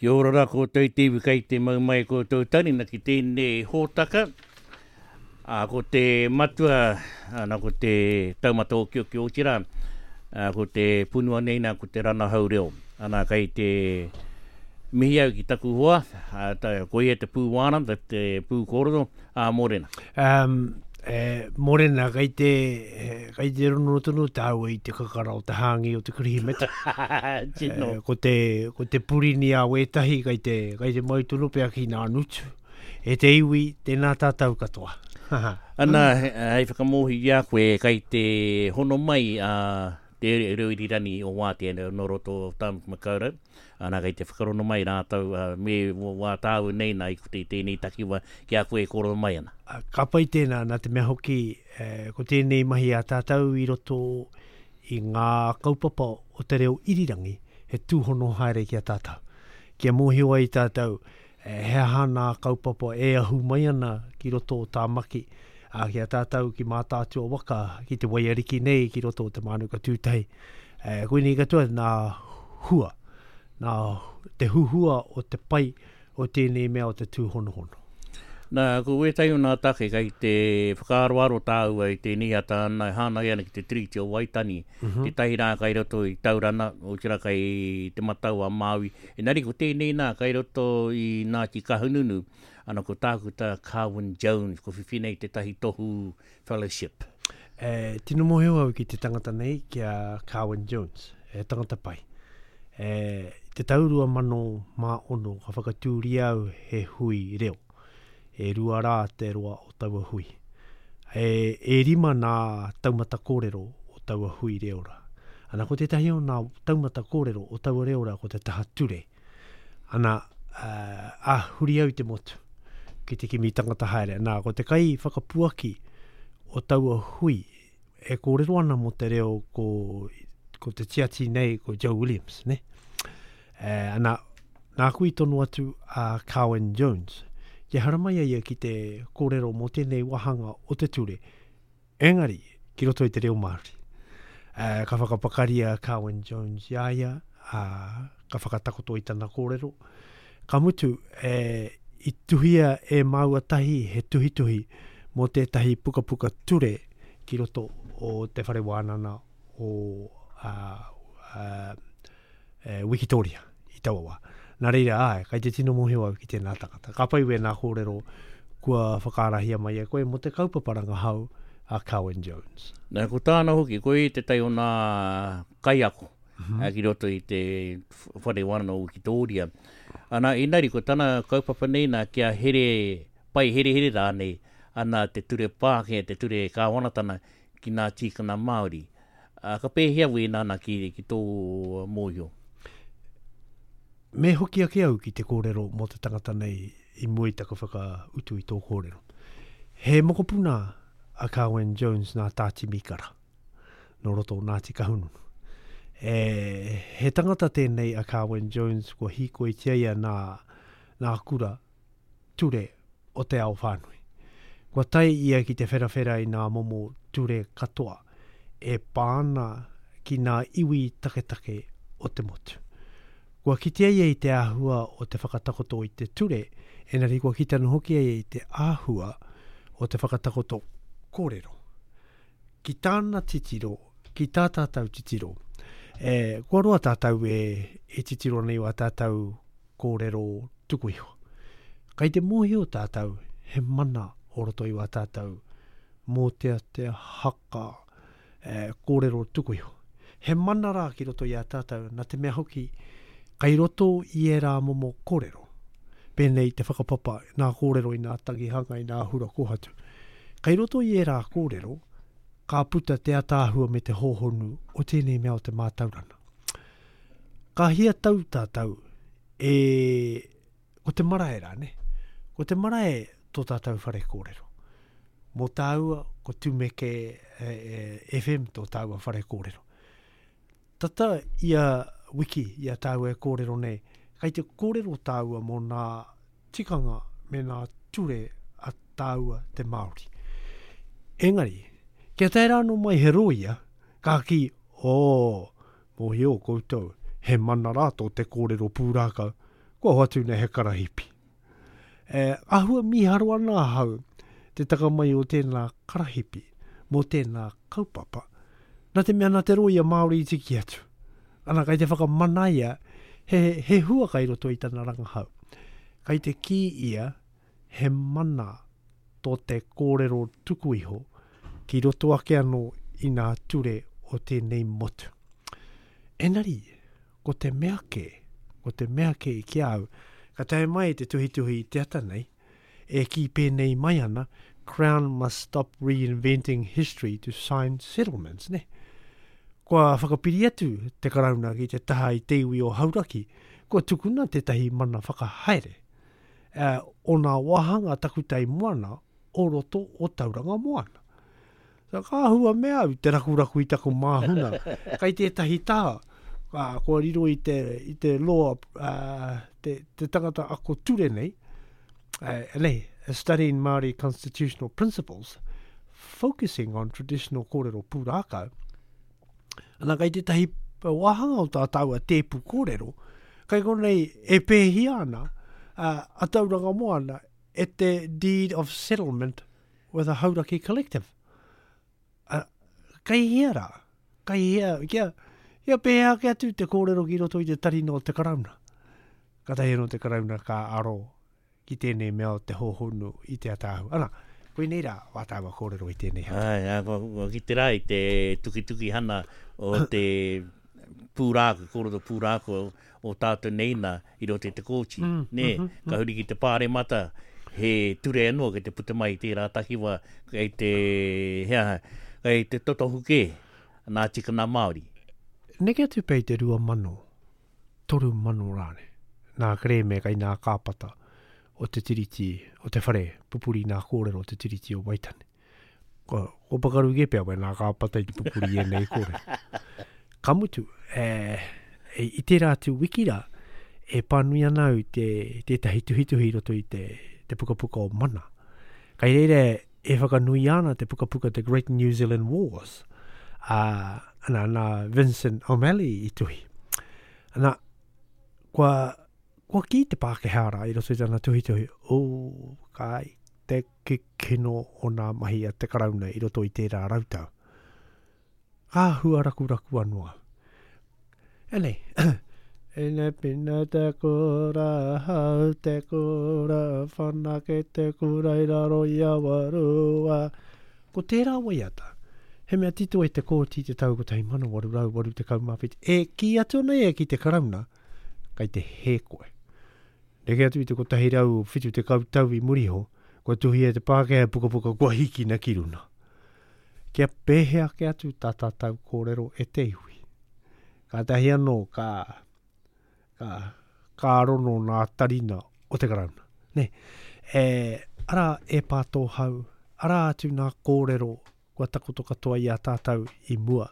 Kia ora rā koutou i te iwi kei te mau mai koutou tarina ki tēnei hōtaka. Ā, ko te matua, ana, ko te taumata okioki otirā, ā, ko te punua nei nā, ko te ranahau reo. Ana, kei te mihi au ki taku hoa, ā, ta, ko ia te pū wānanga, te pū kōrero, ā, mōrena. Um, e, mōrena, kei te, kei te rono tonu tāua i te kakara o te hāngi o te Kirihimete. Tino. E, ko te, ko te purini a wētahi kei te, kei te mau tonu pea ki nā nutu. E te iwi, tēnā tātou katoa. Ana, hei whakamōhi i a koe, kei te hono mai a te reo irirangi o Wātea nō roto o Tāmaki Makaurau. Ana, kei te whakarono mai rātou, me wā tāu nei nā i tēnei takiwa ki a koe e kōrero mai ana. Ka pai tēnā, nā te mea hoki, ko tēnei mahi a tātou i roto i ngā kaupapa o te reo irirangi, he tūhono haere ki a tātou. Kia mōhio ai tātou, he aha nā kaupapa e ahu mai ana ki roto o Tāmaki, ā, ki a tātou ki Mātaatua waka, ki te waiariki nei ki roto o Te Mānuka Tūtahi. E, koinei katoa nā hua, nā te huhua o te pai o tēnei mea o te tūhonohono. Nā, ko wētahi o nā take kei te whakaaroaro tāua i tēnei ata ana e hāngai ana ki te Tiriti o Waitangi, mm -hmm. tētahi rā kai roto i Taurana, otirā kai Te Matau a Māui. Engari ko tēnei nā kai roto i Ngāti Kahungunu, ana ko Tākuta Carwyn Jones, ko whiwhi nei tētahi tohu Fellowship. E, tino mōhio au ki te tangata nei, ki a Carwyn Jones, he tangata pai. E, i te tau 2006 ka whakatūria au he hui reo. E rua rā te roa o taua hui. E, e rima nā taumata kōrero o taua hui reo rā. Ana ko tētahi o nā taumata kōrero o taua reo rā ko te taha ture. Ana, ā, huri au i te motu ki te kimi tangata haere. Nā, ko te kai whakapuaki o taua hui e kōrero ana mō te reo ko, ko te tiati nei, ko Joe Williams, ne? E, ana, nāku i tono atu a Carwyn Jones, kia haramai a ia ki te kōrero mō tēnei wāhanga o te ture, Engari, ki roto i te reo Māori. Uh, ka whakapakari a Carwyn Jones i a ia, uh, ka whakatakoto i tana kōrero. Ka mutu, e, i tuhia e māua tahi he tuhituhi mō tētahi pukapuka ture ki roto o te whare wānana o uh, uh, e, Wikitoria i taua wā. Nā reira, āe, kai te tino mōhio au ki tēnā tangata. Ka pai wēnā kōrero kua whakaarahia mai e koe mō te kaupapa rangahau a Carwyn Jones. Nā, ko tāna hoki, ko ia te tai o nā kaiako mm -hmm. ki roto i te whare wānanga o Wikitoria. Ana, inari, ko tana kaupapa nei nā kia here, pai herehere rānei, ana te ture Pākehā, te ture kāwanatana ki nā tīkana Māori. Ā, ka pēhea wēnā nā ki, ki tō mōhio? Me hoki ake au ki te kōrero mō te tangata nei i mua i taku whakautu i tō kōrero. He mokopuna a Carwyn Jones nā Tā Timi Kara, nō roto o Ngāti Kahungunu. E, he tangata tēnei a Carwyn Jones kua hīkoitia ia nā, nā kura ture o te ao whānui. Kua tae ia ki te wherawhera i nā momo ture katoa e pā ana ki nā iwi taketake o te motu. Kua kitea ia i te āhua o te whakatakoto i te ture, engari kua kite anō hoki ia i te āhua o te whakatakoto kōrero. Ki tāna titiro, ki tā tātou titiro, e, kua roa tātou e, e titiro nei wā tātou kōrero tuku iho. Kai te mōhio tātou he mana o roto i wā tātou mōteatea, haka, e, kōrero tuku iho. He mana rā ki roto i a tātou, nā te mea hoki, kai roto i ērā momo kōrero, pēnei te whakapapa, nā kōrero i nā tangihanga, i nā hura kōhatu. Kai roto i ērā kōrero, ka puta te ataahua me te hōhonu o tēnei mea o te mātauranga. Ka hia tau tātou e, ko te marae rā, ne? Ko te marae tō tātou whare kōrero. Mō tāua, ko Tumeke e, e, FM tō tāua whare kōrero. Tata ia wiki i a tāua e kōrero nei, kai te kōrero tāua mō nā tikanga me nā ture a tāua te Māori. Engari, kia tae rā anō mai he rōia, ka kī, oh, mōhio koutou, he mana rā tō te kōrero pūrākau. Kua hoatu nei he karahipi. E āhua mīharo ana ahau te taka mai o tēnā karahipi mō tēnā kaupapa, nā te mea nā te rōia Māori i tiki atu. Ana, kai te whakamana ia, he, he hua kai roto i tana rangahau. Kai te kī ia, he mana tō te kōrero tuku iho ki roto ake anō i nā ture o tēnei motu. Engari, ko te mea kē, ko te mea kē ki a au, ka tae mai te tuhituhi i te ata nei, e kī pēnei mai ana, Crown must stop reinventing history to sign settlements, nē? Kua whakapiri atu te Karauna ki te taha i te iwi o Hauraki, kua tukuna tētahi mana whakahaere o nā wāhanga takutai moana o roto o Tauranga Moana. So, ka hua mea au te rakuraku i taku māhuna, kai tētahi taha, ā, kua riro i te, i te law, ā, te, te tangata ako ture nei, ā, nei, studying Māori constitutional principles, focusing on traditional kōrero pūrākau, ana kai tētahi wāhanga o tā tāua tēpu kōrero, kai konei e pēhia ana a, a Tauranga Moana e te Deed of Settlement with a Hauraki Collective. Uh, kei hea rā? Kei hea, kia, kia pēhea ake atu te kōrero ki roto i te tarina o te Karauna? Katahi anō te Karauna ka aro ki tēnei mea o te hōhonu i te ataahu. Ana, koinei rā wā tāua kōrero i tēnei hata. Ai, a, kua, kua kite rā i te tukituki hana o te pūrākau, kōrero pūrākau o tātou nei nā i roto i te kōti, mm, nē, mm -hmm, ka huri ki te pāremata, he ture anō kei te puta mai i tērā takiwā, kei te, he aha, kei te totohu kē nā tikanga Māori. Neke atu pea i te 2000, 3000 rānei, nā kerēme kei nā kāpata o te tiriti, o te whare pupuri nā kōrero o te tiriti o Waitangi. Ko, ko pakaru kē pea wēnā kāpata i te pupuri i ēnei kōrero. Ka mutu, e, e, i tērā atu wiki rā, e pānui ana au te, tētahi tuhituhi i roto i te, te pukapuka o Mana. Kai reira e whakanuia ana te pukapuka The Great New Zealand Wars, a, ana, nā Vincent O'Malley i tuhi. Ana, kua, Kua kī te Pākehā rā i roto i tana tuhituhi, oh, kai te kikino o nā mahi a te Karauna i roto i tērā rautau. Ka hua rakuraku anō au. Enei, Ine pine te kura, hau te kura, whanake te kura i raro i Awarua. Ko tērā waiata, he mea tito e Te Kooti i te tau 1887, e kī atu ana ia ki te Karauna, kei te hē koe. Neke atu i te 170 tau i muri iho, kua tuhia e te Pākehā he pukapuka kua hīkina ki runa. Kia pēhea ake atu tā tātou kōrero e te iwi? Kātahi anō ka, ka, ka rono nā tarina o te Karauna. Nē? E, arā e pā tō hau, arā atu nā kōrero kua takoto katoa i a tātou i mua.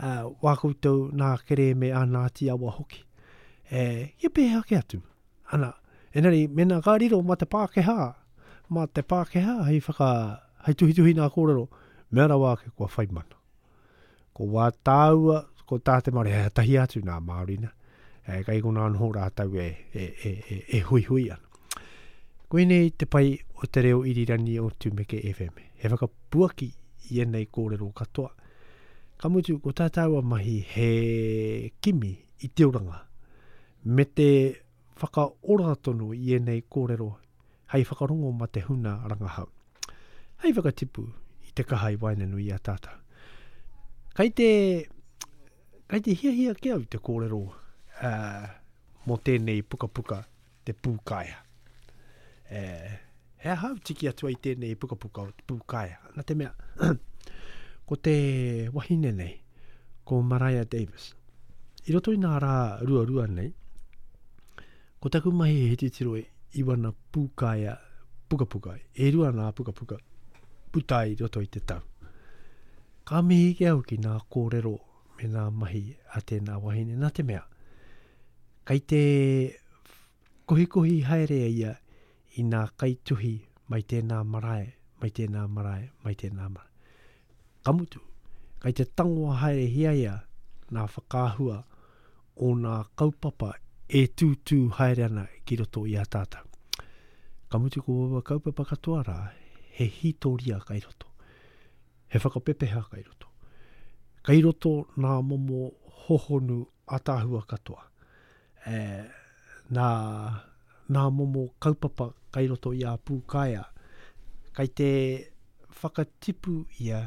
Ā, wā koutou nā kerēme a Ngāti Awa hoki. E, kia pēhea ake atu? Ana, engari, mēnā ka riro mā te Pākehā, mā te Pākehā hei whaka, hei tuhituhi nā kōrero, mea rawa ake kua whai mana. Ko wā tāua, ko tā te Māori, hei tahi atu nā Māori na, e, kei konā noho rātou e, e, e, e, e huihui ana. Koinei te pai o te reo irirangi o Tumeke FM. He whakapuaki i ēnei kōrero katoa. Ka mutu, ko tā tāua mahi he kimi i te oranga me te whakaora tonu i ēnei kōrero hei whakarongo ma te huna rangahau. Hei whakatipu i te kaha i waenganui i a tātou. Kei te, kei te hiahia ki au te kōrero uh, mō tēnei pukapuka te pūkaea. E, he aha au tiki atu ai tēnei pukapuka o te pūkaea? Nā te mea, ko te wahine nei, ko Mariah Davis. I roto i nā rā ruarua nei, ko taku mahi he titiro i wana pūkaea pukapuka, e rua nā pukapuka puta i roto i te tau. Ka mihi ki au ki nā kōrero me nā mahi a tēnā wahine, nā te mea, Kei te kohikohi haere a ia i nā kaituhi mai tēnā marae, mai tēnā marae, mai tēnā marae. Ka mutu, kei te tangoa haerehia ia nā whakaahua o nā kaupapa e tūtū haere ana ki roto i a tātou. Ka mutu ko aua kaupapa katoa rā, he hītoria kai roto, he whakapepeha kai roto. Kai roto nā momo hohonu ataahua katoa. E, nā, nā momo kaupapa kai roto i a Pūkaea, kai te whakatipu ia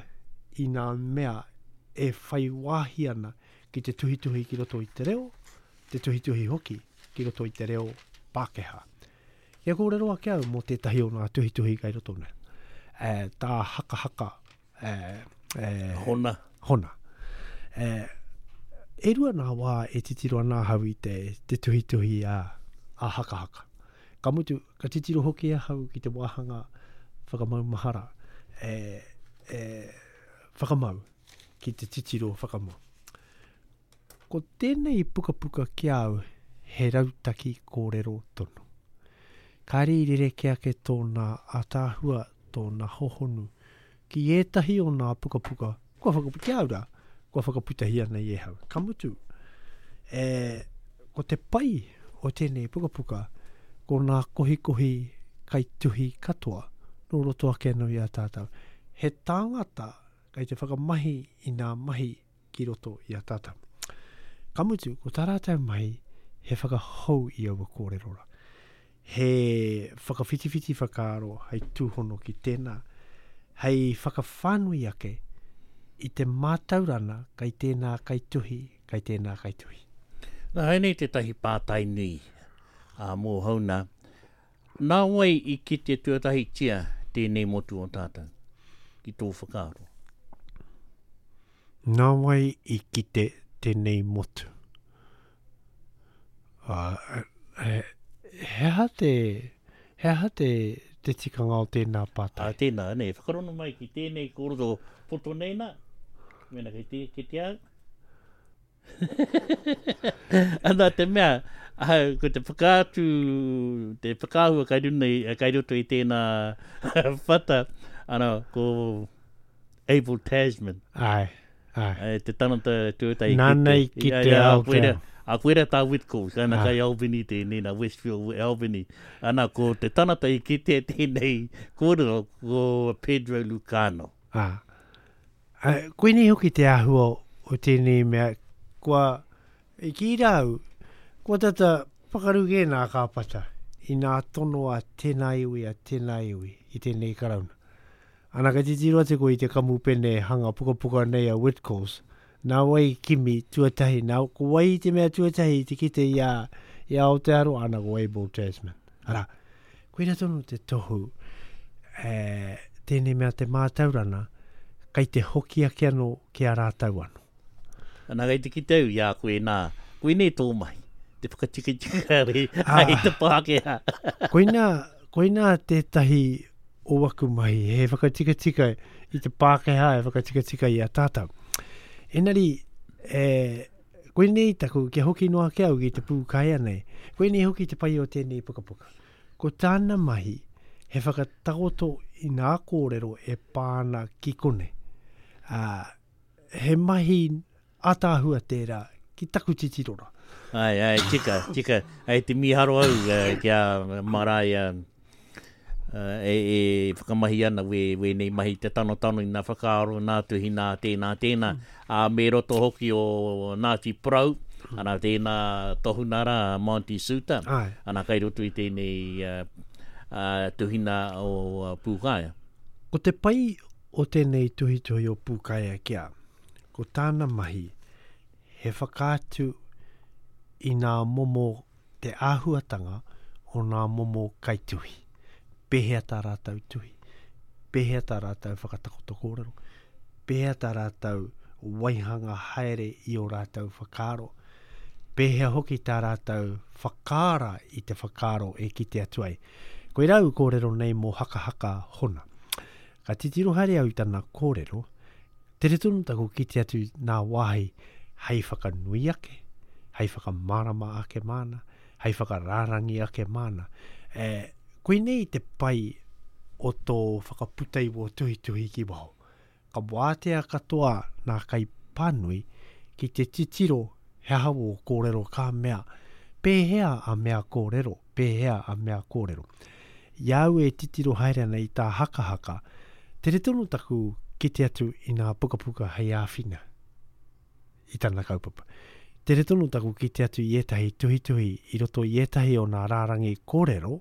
i nā mea e whai wāhi ana ki te tuhituhi ki roto i te reo, te tuhituhi hoki ki roto i te reo Pākehā. Kia kōrero ake au mō tētahi o ngā tuhituhi kai roto nei. E, tā hakahaka e, e, Hona. Hona. E, e rua nā wā e titiro ana ahau i te, te tuhituhi a, a hakahaka. Ka mutu, ka titiro hoki ahau ki te wāhanga whakamaumahara e, e, whakamau ki te titiro whakamua. Ko tēnei pukapuka ki a au he rautaki kōrero tonu. Kāre i rerekē ake tōna ātaahua, tōna hohonu ki ētahi o nā pukapuka kua whakaputa, ki a au rā, kua whakaputahia nei e hau. Ka mutu, e, ko te pai o tēnei pukapuka, ko nā kohikohi kaituhi katoa nō roto ake anō i a tātou. He tāngata kei te whakamahi i nā mahi ki roto i a tātou. Ka mutu, ko tā rātou mahi he whakahou i aua kōrero rā. He whakawhitiwhiti whakaaro hei tūhono ki tēnā, hei whakawhānui ake i te mātaurana kei tēnā kaituhi, kei tēnā kaituhi. Nā, haere nei tētahi pātai nui ā, mōhou nā, Nā wai i kite tuatahitia tēnei motu o tātou, ki tō whakaaro? Nā wai i kite tēnei motu? Uh, he, he aha te, he aha te, te tikanga o tēnā pātai? Ā, tēnā, nei, whakarono mai ki tēnei kōrero poto nei nā, mēnā kei te, kei te au. Ana te mea, ahau, ko te whakaatu, te whakaahua kai runa i, kai roto i tēnā whata, ana, ko Abel Tasman. Ai, ai. E, te tangata tuatahi Nāna i kite Aotearoa. A koira tā Whitcalls, ana kai Albany tēnei, nā Westfield Albany. Ana, ko te tangata i kite tēnei kōrero, ko Pedro Lucano. Ah. Koinei hoki te āhua o tēnei mea, kua, i kī rā au, kua tata pakaru kē nā kāpata inā tono a tēnā iwi, a tēnā iwi i tēnei Karauna. Ana ka titiro atu koe i te kamupene hanga pukapuka nei a Whitcoulls, nā wai i kimi tuatahi, nā, ko wai te mea tuatahi i te kite i a, i a Aotearoa, ana ko Abel Tasman. Arā, koira tonu te tohu, e, tēnei mea te mātaurana, kei te hoki ake anō ki a rātou anō. Ana kei te kite au i a koe nā, koinei tō mahi, te whakatikatika re, ah, ai te Pākehā. koina, koina tētahi o waku mahi, he whakatikatika i te Pākehā, he whakatikatika i a tātou. Engari, e, Koinei taku, kia hoki noa ake au ki te pūkaea nei, koinei hoki te pai o tēnei pukapuka. Ko tāna mahi, he whakatakoto i ngā kōrero e pā ana ki konei. Ā, he mahi ātaahua tērā ki taku titiro rā. Āe, āe, tika, tika. Hei te mīharo au ki a Maraea e, e whakamahi ana wē, wēnei mahi te tanotano i nā whakaaro, nā tuhi, nā tēnā, tēnā. Mm. Ā, me roto hoki o Ngāti Porou, mm. ana tēnā tohuna rā, Monty Soutar, Ai. ana kai roto i tēnei uh, uh, tuhina o uh, Pūkaea. Ko te pai o tēnei tuhituhi o Pūkaea ki a, ko tāna mahi, he whakaatu i nā momo te āhuatanga o nā momo kaituhi. Pēhea tā rātou tuhi, pēhea tā rātou whakatakoto kōrero, pēhea tā rātou waihanga haere i ō rātou whakaaro, pēhea hoki tā rātou whakaara i te whakaaro e kite atu ai. Koirā au kōrero nei mō Hakahaka Hona. Ka titiro haere au i tana kōrero, Tere tonu taku kite atu nā wāhi hei whakanui ake, hei whakamārama ake māna, hei whakarārangi ake māna. E, koinei te pai o tō whakaputa i wō tuhituhi ki waho. Ka wātea katoa nā kaipānui ki te titiro he aha wō kōrero ka mea. Pēhea a mea kōrero, pēhea a mea kōrero. I a au e titiro haere ana i tā Hakahaka, tere tonu taku kite atu i nā pukapuka hei āwhina i tana kaupapa. Tere tonu taku kite atu i ētahi tuhituhi i roto i ētahi o nā rārangi kōrero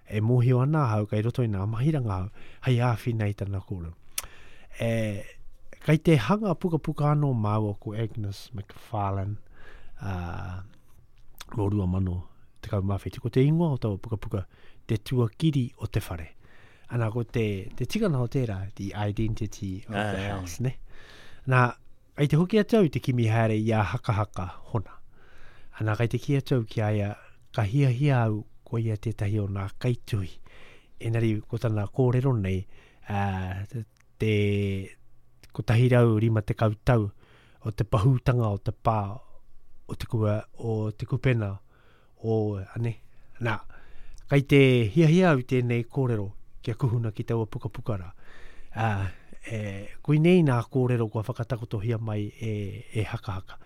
e mōhio ana ahau kei roto i nā mahi rangahau hei āwhina i tana kōrero. E, kei te hanga pukapuka anō māua ko Agnes McFarlane uh, mō 2017. Ko te ingoa o taua pukapuka, Te Tuakiri o te Whare. Ana, ko te, te tikanga o tērā, the identity of the house, ne? Nā, Kei te hoki atu au te kimi haere i a Hakahaka Hona. Ana, kei te kī atu au ki a ia, ka hiahia au ko ia tētahi o nā kaituhi. Engari, ko tana kōrero nei, ā, te 150 tau o te pahūtanga o te pā o te, kua, o te kupena o, ane, nā, kei te hiahia au tēnei kōrero kia kuhuna ki taua pukapuka rā. Ā, e, koinei nā kōrero kua whakatakotohia mai e, e Hakahaka.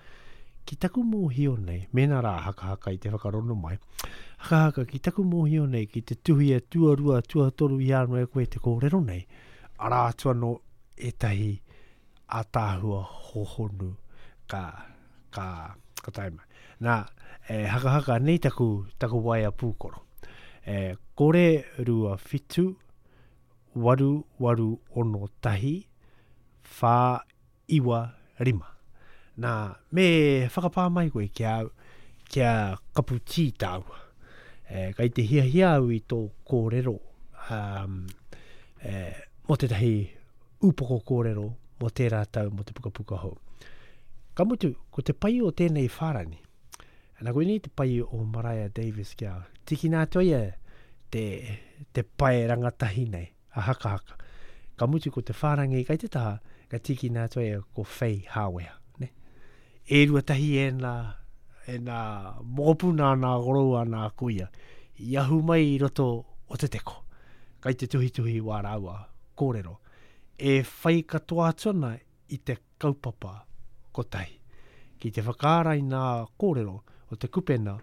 Ki taku mōhio nei, mēnā rā Hakahaka i te whakarono mai, Hakahaka, ki taku mōhio nei, ki te tuhia tuarua, tuatoru i anō e koe te kōrero nei, arā atu anō ētahi ātaahua hōhonu ka, ka, ka tae mai. Nā, e hakahaka nei taku, taku waea pūkoro. E, kore rua whitu, waru waru ono tahi, whā iwa rima. Nā, me whakapā mai koe ki a au, kia kapu tī tāua. E, kai te hiahia au i tō kōrero um, e, mō tētahi upoko kōrero mō tērā tau mō te pukapuka hou. Ka mutu, ko te pai o tēnei whārani, ana koinei te pai o Mariah Davis ki a au, tīkina atu ai ia te, te pae rangatahi nei, a Hakahaka. Ka mutu ko te whārangi kai te taha, ka tīkina atu ai ia ko Faye Hāwea. Ne? E rua tahi ēnā, ēnā mokopuna nā koroua nā kuia, i ahu mai i roto o te teko. Kai te tuhituhi wā rāua kōrero, e whai katoa atu ana i te kaupapa kotahi, ki te whakaara i nā kōrero o te kupena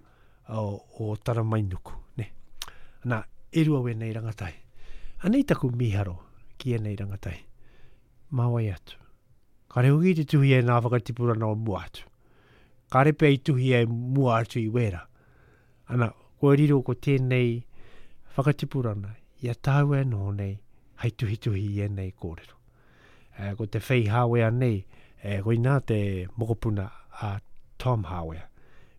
o, o Taramainuku, ne. Nā, e rua wēnei rangatahi. Anei taku mīharo ki ēnei rangatahi. Mā wai atu. Kāre hoki i te tuhia e nā whakatipurana o mua atu. Kāre pea i tuhia e mua atu i wērā. Ana, kua riro ko tēnei whakatipurana i a tāua e noho nei hei tuhituhi i ēnei kōrero. E, ko te Whei Hāwea nei, e, koinā te mokopuna a Tom Hāwea,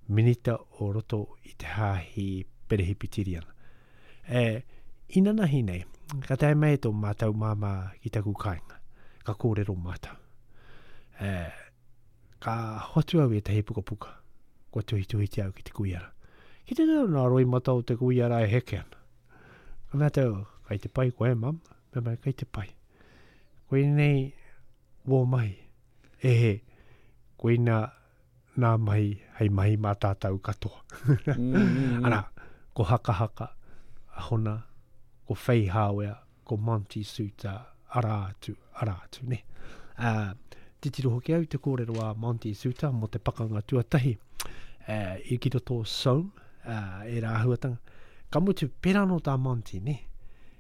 minita o roto i te hāhi Perehipitiriana. E, inanahi nei, ka tae mai tō mātau māmā ki taku kāinga, ka kōrero mātau. E, Ka hoatu au ētahi pukapuka, kua tuhituhitia au ki te kuia rā. Ki te reo nā roimata o te kuia rā e heke ana. Ka mea te au, kai te pai koe, mam? Mea mai, kai te pai. Koinei wō mahi. E he, koina nā mahi hei mahi mā tātou katoa. mm -hmm. Ana, ko Hakahaka, a Hona, ko Fei Hāwea, ko Monty Soutar, arā atu, arā atu, nē. Ā, titiro hoki au i te kōrero a Monty Soutar mō te pakanga tuatahi ā, i ki roto o Somme, ā, ērā āhuatanga. Ka mutu, pērā anō tā Monty, nē.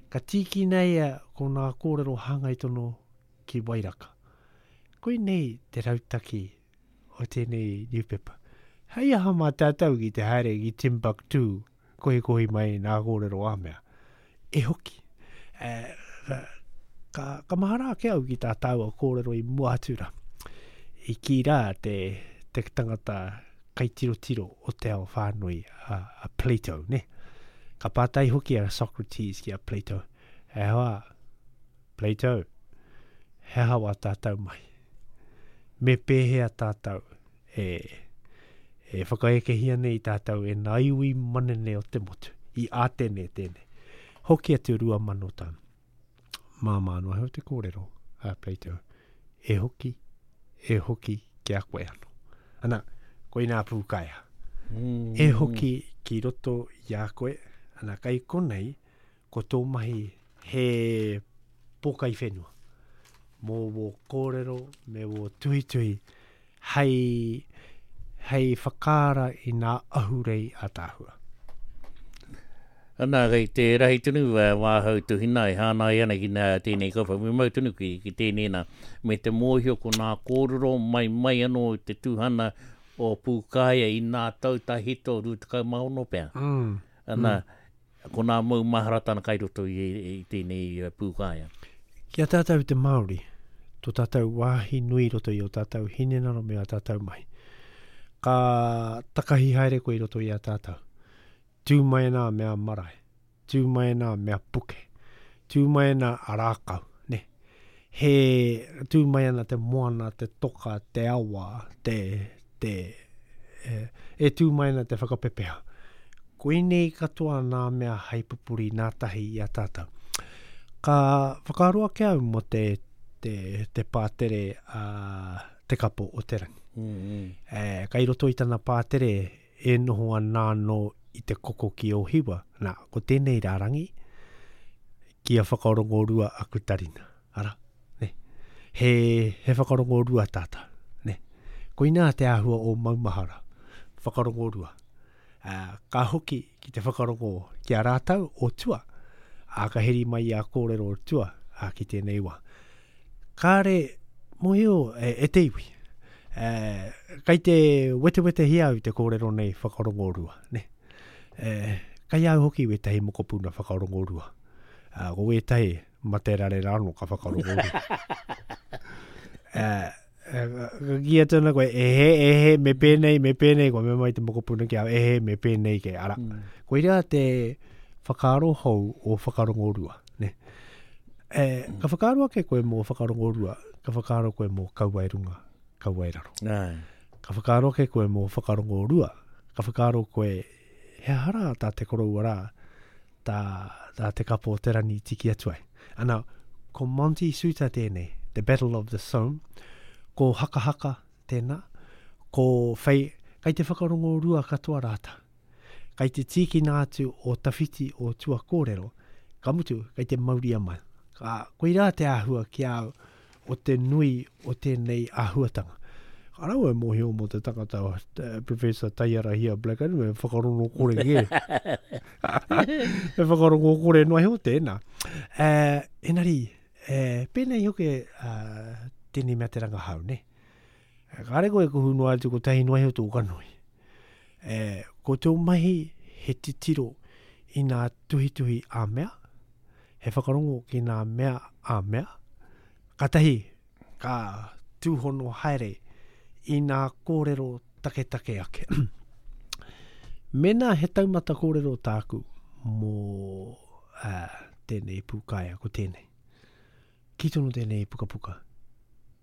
Ka tīkina ia ko nā kōrero hāngai tono ki Wairaka. Koinei te rautaki o tēnei niupepa. Hei aha mā tātou ki te haere ki Timbuktu kohikohi mai nā kōrero a mea. E hoki. E, ka, ka, ka mahara ake au ki tā tāua kōrero i mua atu rā. I kī rā te, te tangata kaitirotiro o te ao whānui a, a Plato, ne? Ka pātai hoki a Socrates ki a Plato. E hoa, Plato, he aha wā tātou mahi? Me pēhea tātou e, e whakaekehia nei tātou e nā iwi manene o te motu, i Ātene tēnei. Hoki atu 2000 tau. Māmā noa heo te kōrero a Plato. E hoki, e hoki ki a koe anō. Ana, koinā pūkaea. Mm. E hoki ki roto i a koe, ana kai konei, ko tō mahi he pōkai whenua mō wō kōrero me wō tuhituhi hei, hei whakaara i nā ahurei ātaahua. Ana, kei te rahi tonu wāhau tuhina e hāngai ana ki nā tēnei kaupapa, me mau tonu ki, ki tēnei nā, me te mōhio ko nā kōrero mai mai anō i te tuhana o Pūkāea i nā tau tahito 26 pea. Mm. Ana, mm. ko nā maumaharatana kai roto i, i tēnei pūkāea. Ki a tātou te Māori, tō tātou wāhi nui i roto i ō tātou hinengaro me ā tātou mahi. Ka takahi haere koe i roto i a tātou. Tū mai ana a mea marae, tū mai ana a mea puke, tū mai ana a rākau, ne? He tū mai ana te moana, te toka, te awa, te, te, e, e tū mai ana te whakapepeha. Koinei katoa nā mea hei pupuri nā tahi i a tātou. Ka whakaaro ake au mō te, te, te pātere a Te Kapo o te Rangi. Mm -hmm. E, kai roto i tana pātere e noho ana anō i te koko ki Ōhiwa, nā, ko tēnei rārangi, kia whakarongorua aku tarina, ara, nē. He, he whakarongorua tātou, nē. Koinā te āhua o maumahara, whakarongorua. Ā, ka hoki ki te whakarongo ki a rātou o tua, ā, ka heri mai i a kōrero o tua, ā, ki tēnei wā. Kāre, mōhio, e, e te iwi, e, kai te wetewetehia au te kōrero nei whakarongorua, ne? E, kai au hoki wētahi mokopuna whakarongorua. A, ko wētahi mate rare rāno ka whakarongorua. e, ka kī atu ana koe, e he, e he, me pēnei, me pēnei, kua mea mai te mokopuna ki au, e he, me pēnei kē, ara. Mm. Koirā te whakaaro hou o whakarongorua, ne? E, ka whakaaro ake koe mō whakarongorua, ka whakaaro koe mō kauae runga, kauae raro. Ai. Ka whakaaro ake koe mō whakarongorua, ka whakaaro koe he aha rā tā te koroua rā, tā, tā te kapo o te rangi tiki atu ai. Ana, ko Monty Soutar tēnei, The Battle of the Somme, ko Hakahaka tēnā, ko Whei, kei te whakarongorua katoa rātou. Kei te tīkina atu o tawhiti o tua kōrero, ka mutu, kei te mauria mai. Ka, koirā te āhua ki a au o te nui o tēnei āhuatanga. Ka rawe e mōhio mō te tangata, Professor Taiarahia Blackett, me whakarongo kore kē. me whakarongo kore noa iho tēnā. Uh, engari, uh, pēnei hoki uh, tēnei mea te rangahau, ne? Kāre koe e kuhu noa atu kotahi noa iho tō kanohi. E, ko tō mahi he titiro i nā tuhituhi a mea, he whakarongo ki nā mea a mea, katahi ka tūhono haere i nā kōrero taketake ake. Mēnā he taumata kōrero tāku mō uh, tēnei pūkaea, ko tēnei. Kī tonu tēnei pukapuka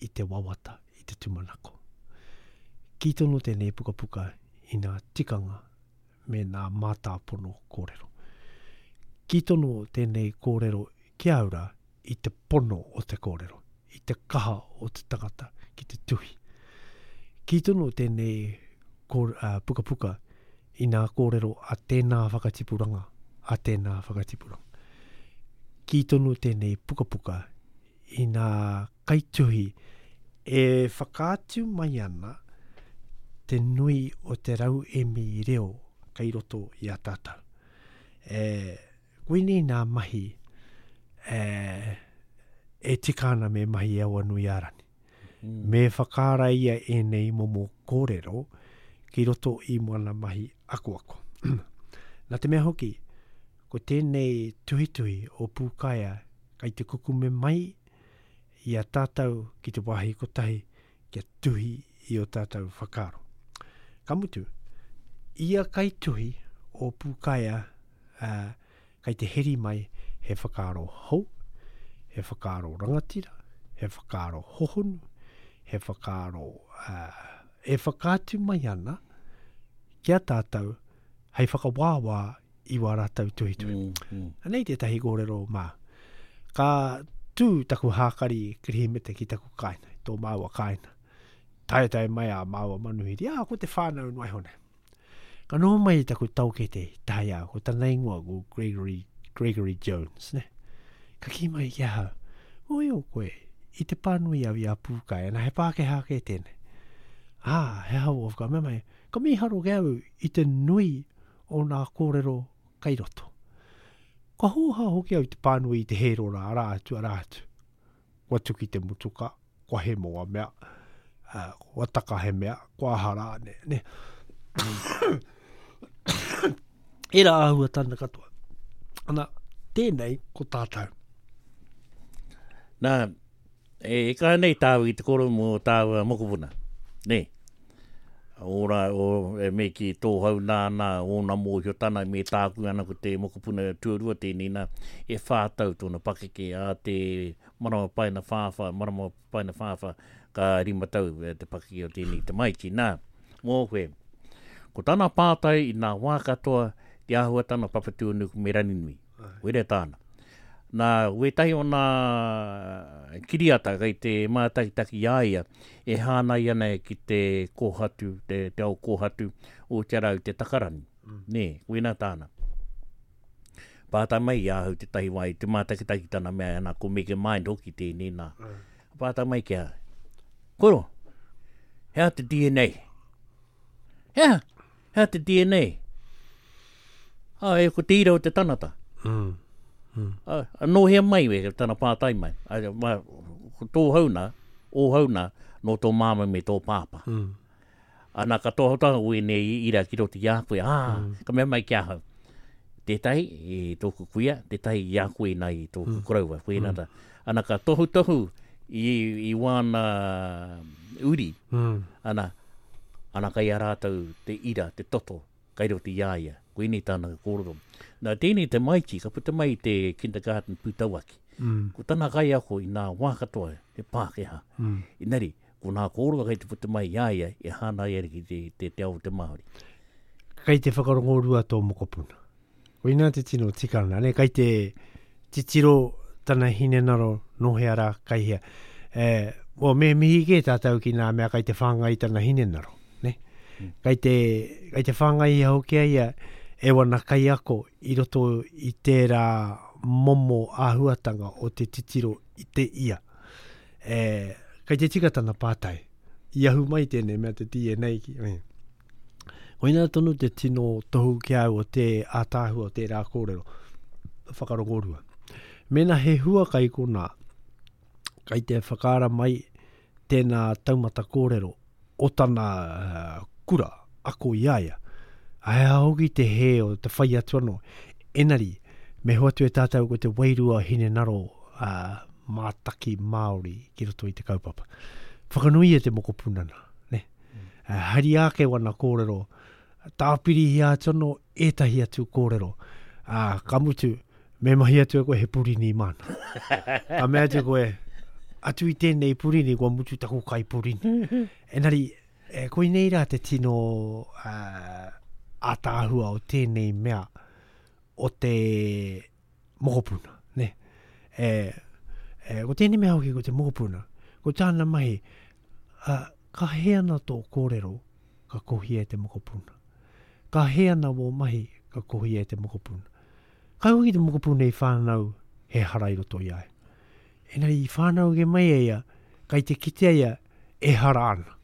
i te wawata, i te tūmanako. Kī tonu tēnei pukapuka i ngā tikanga me ngā mātāpono kōrero. Kī tonu tēnei kōrero ki a au rā i te pono o te kōrero, i te kaha o te tangata ki te tuhi. Kī tonu tēnei pukapuka i ngā kōrero a tēnā whakatipuranga, a tēnā whakatipuranga. Kī tonu tēnei pukapuka i ngā kaituhi e whakaatu mai ana te nui o te rauemi reo kei roto i a tātou. E, koinei nā mahi e, e tika ana me mahi e Awanuiārani. Mm. Me whakaara ia ēnei momo kōrero ki roto i wana mahi akoako. Nā te mea hoki, ko tēnei tuhituhi o Pūkaea kai te kukume mai i a tātou ki te wāhi kotahi kia tuhi i o tātou whakaaro. Ka mutu, ia kaituhi o Pūkaea uh, Kei te heri mai he whakaaro hou, he whakaaro rangatira, he whakaaro hohonu, he whakaaro e whakaatu mai ana ki a tātou hei whakawāwā i wā rātou tuhituhi. Mm, mm. Anei tētahi kōrero mā. Ka tū taku hākari Kirihimete ki taku kāina, tō māua kāina. Taetae mai a māua manuhiri, ā, ko te whānau noa iho nei. Ka noho mai taku taukete taia, ko tana ingoa ko Gregory, Gregory Jones, ne? Ka kī mai ki ahau, Mōhio koe, i te pānui au i a Pūkaea, nā he Pākehā kē tēnei. Ā, he aha ō whakamea mai? Ka mīharo ki au i te nui o nā kōrero kai roto. Kua hōhā hoki au i te pānui i te hērora arā atu, arā atu. Kua tuki te motuka, kua hemo a mea, ā, kua taka he mea, kua aha rānei, nē. Ērā āhuatanga katoa. Ana, tēnei ko tātou. Nā, e kaha nei tāu i te koro mō tāua mokopuna, nē? Ora, o, e me ki tōhau nāna, ōna mōhiotana me tāku ana ko te mokopuna tuarua tēnei nā, e whā tau tōna pakeke ā te marama paina whāwhā, marama paina whāwhā, ka rima tau te pakeke o tēnei tamaiti. Nā, mō koe, ko tana pātai i nā wā katoa te āhuatana Papatūānuku me Ranginui. Koira tāna. Nā, wētahi o nā kiriata kei te mātakitaki i a ia e hānai ana ki te kōhatu, te, te ao kōhatu o Te Arau Te Takarangi. Mm. Nē, koina tāna. Pātai mai i ahau tētahi wā i te mātakitaki tana mea ana ko Mega Mind hoki tēnei nā. Mm. Pātai mai ki a, Koro, he aha te DNA? He aha? He aha te DNA? Ah, e ko te ira o te tanata. Mm. Mm. Ah, nō hea mai we, tana pātai mai. Ah, ma, ko tō hauna, ō hauna, nō tō māma me tō pāpā. Mm. Ana ka tohotanga wēnei ira ki roto i a koe. Ah, mm. ka mea mai ki ahau. Tētahi i tōku kuia, tētahi i a koe nā i tōku mm. koroua. Koe mm. Ana ka tohutohu i, i wāna uri. Mm. Ana, ana kai a rātou te ira, te toto, kai roto i a ia. Koinei tāna kōrero. Nā tēnei tamaiti, ka puta mai i te kindergarten Pūtauaki. Mm. Ko tana kaiako i nā wā katoa, he Pākehā. Mm. Engari, ko nā kōrero kei te puta mai i a ia, e hāngai ana ki te, te, te ao o te Māori. Kei te whakarongorua tō mokopuna. Koinā te tino tikanga, ne? Kai te titiro tana hinengaro nō hea rā, kai hea. E, well, me mihi kē tātou ki nā mea kai te whāngai tana hinengaro, ne? Mm. Kai te, kai te whāngai ia hoki a ia e wana kaiako i roto i tērā momo āhuatanga o te titiro i te ia. E, kai te tika tana pātai. I ahu mai tēnei mea te DNA ki, Koinā tonu te tino tohu ki a au o te ātaahua o tērā kōrero, whakarongorua. Mēnā he hua kai konā, kai te whakaara mai tēnā taumata kōrero o tana kura ako i a ia. He aha hoki te hē o te whai atu anō. Enari, me hoatu e tātou ko te wairua hinengaro mātaki Māori ki roto i te kaupapa. Whakanuia te mokopuna nā, ne? Haria ake wana kōrero, tāpirihia atu anō ētahi atu kōrero. Ā, ka mutu, me mahi atu e koe he purini māna. Ka mea atu koe, atu i tēnei purini, kua mutu taku kai purini. Engari, e, koinei rā te tino uh, ātaahua o tēnei mea o te mokopuna, ne? E, e, ko tēnei mea hoki ko te mokopuna, ko tāna mahi, a, ka hē ana tō kōrero, ka kohia e te mokopuna. Ka hē ana wō mahi, ka kohia e te mokopuna. Ka hoki te mokopuna i whānau he hara i roto i a ia. Engari i whānau ake mai e ia, kai te kitea ia e hara ana.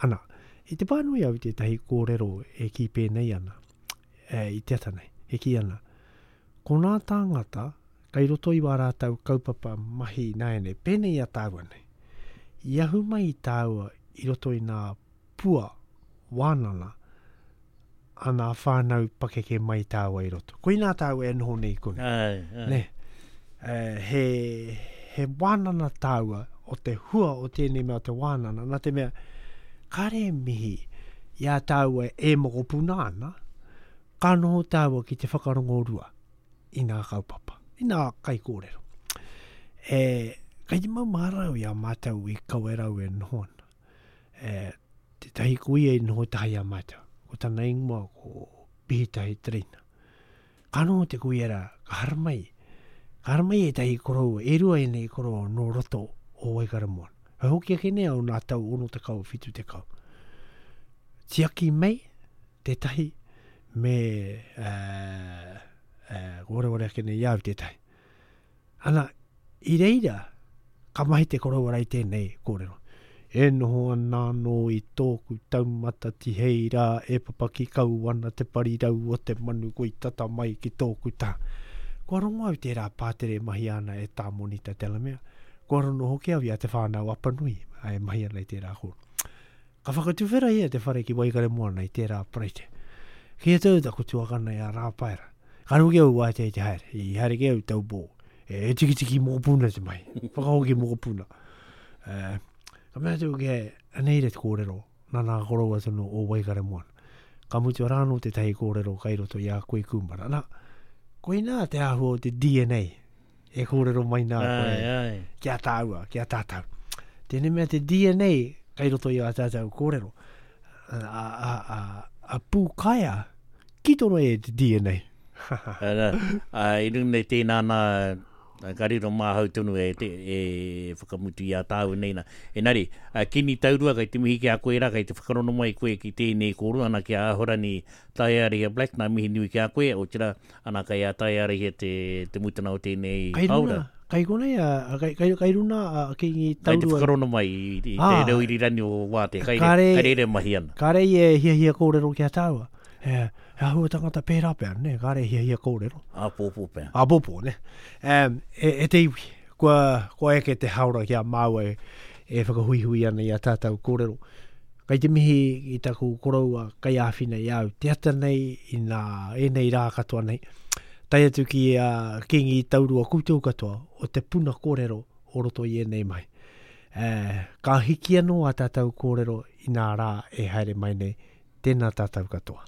Ana, i te pānui au i tētahi kōrero e kī pēnei ana, e, i te ata nei, e kī ana, ko nā tāngata kai roto i wā rātou kaupapa mahi ināianei, pēnei i a tāua nei, i ahu mai i tāua i roto i nā pua wānanga a nā whānau pakeke mai tāua i roto. Koinā tāua e noho nei i konei. Ai, ai. Ne? E, he, he wānanga tāua o te hua o tēnei mea o te wānanga, nā te mea, kāre e mihi i a tāua e mokopuna ana, ka noho tāua ki te whakarongorua i ngā kaupapa, i ngā kaikōrero. E, kei te maumahara au i a mātou i Kawerau e noho ana. E, tētahi kuia i noho tahi i a mātou. Ko tana ingoa ko Pihitahi Tereina. Ka noho te kuia rā, ka haramai. Ka haramai ētahi koroua, e rua ēnei koroua nō roto o Waikaremoana. Hei hoki ake nei au nā tau 60, 70. Tiaki mei, tētahi, me, uh, uh, wareware ake nei i a au tētahi. Ana, i reira, ka mahi te koroua rā i tēnei kōrero. E noho ana anō i tōku taumata tihei rā e papaki kau ana te parirau o te manu koi tata mai ki tōku taha. Kua rongo au tērā pātere e mahia ana e Tā Monita Delamere. Kua rono hoki au i a Te Whānau Apanui e mahi ana i tērā kōrero. Ka whakatuwherahia te whare ki Waikaremoana i tērā Paraite. Ki a tau taku tuakana i a Rāpaera. Ka noho ki au wātea i te haere. I haere ki au taupō. E tikitiki mokopuna te mahi. Whakahoki mokopuna. E, ka mea atu ki anei re te kōrero. Nā nā koroua tonu o Waikaremoana. Ka mutu rā anō tētahi kōrero kai roto i a koe kūmara. Nā, koinā te āhua o te DNA. E kōrero mai nā koe ai, ai. ki a tāua, ki a tātou. Tēnei mea te DNA kai roto i a tātou kōrero. A, a, a, a, a pūkaea, ki toro e te DNA. Ara, a, i runga nei tēnā nā, ka riro māhau tonu e, te, e whakamutu i a tāua nei nā. Engari, a, Kini Taurua, kei te mihi ki a koe rā, kei te whakarono mai koe ki tēnei kōrero, ana ki a Ahorangi Taiarihia Black, nā mihi nui ki a koe, otirā, Ana kei a Taiarihia te, te mutuna o tēnei Kai runa, kai konei a, kai, kai, kai runa a Kingi Taurua. Kai te whakarono mai i, i te ah, reo irirangi o Wātea, kai, kare, kai reira mahi ana. Kare i e hiahia kōrero ki a tāua. He, he āhua tangata pērā pea, ne? Kare hiahia kōrero. Āpōpō pea. Āpōpō, ne? Um, e, e te iwi, kua, kua eke te haora ki a māua e, e whakahuihui ana i a tātou kōrero. Kei te mihi i taku koroua kaiāwhina i a au te ata nei i nā ēnei rā katoa nei, tae atu ki a Kīngi Taurua koutou katoa o te puna kōrero o roto i ēnei mahi. E, ka hiki anō a tātou kōrero i nā rā e haere mai nei, tēnā tātou katoa.